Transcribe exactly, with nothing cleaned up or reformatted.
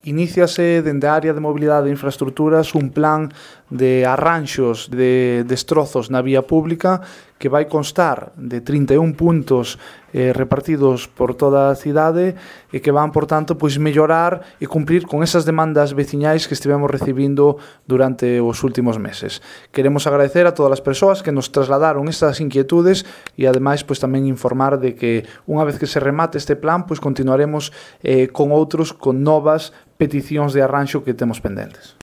Iníciase dende a área de mobilidade e infraestructuras un plan de arranxos de destrozos na vía pública que vai constar de trinta e un puntos eh, repartidos por toda a cidade e que van, por tanto, pois mellorar e cumprir con esas demandas veciñais que estivemos recibindo durante os últimos meses. Queremos agradecer a todas as persoas que nos trasladaron estas inquietudes e, ademais, pois tamén informar de que unha vez que se remate este plan, pois continuaremos eh, con outros, con novas peticións de arranxo que temos pendentes.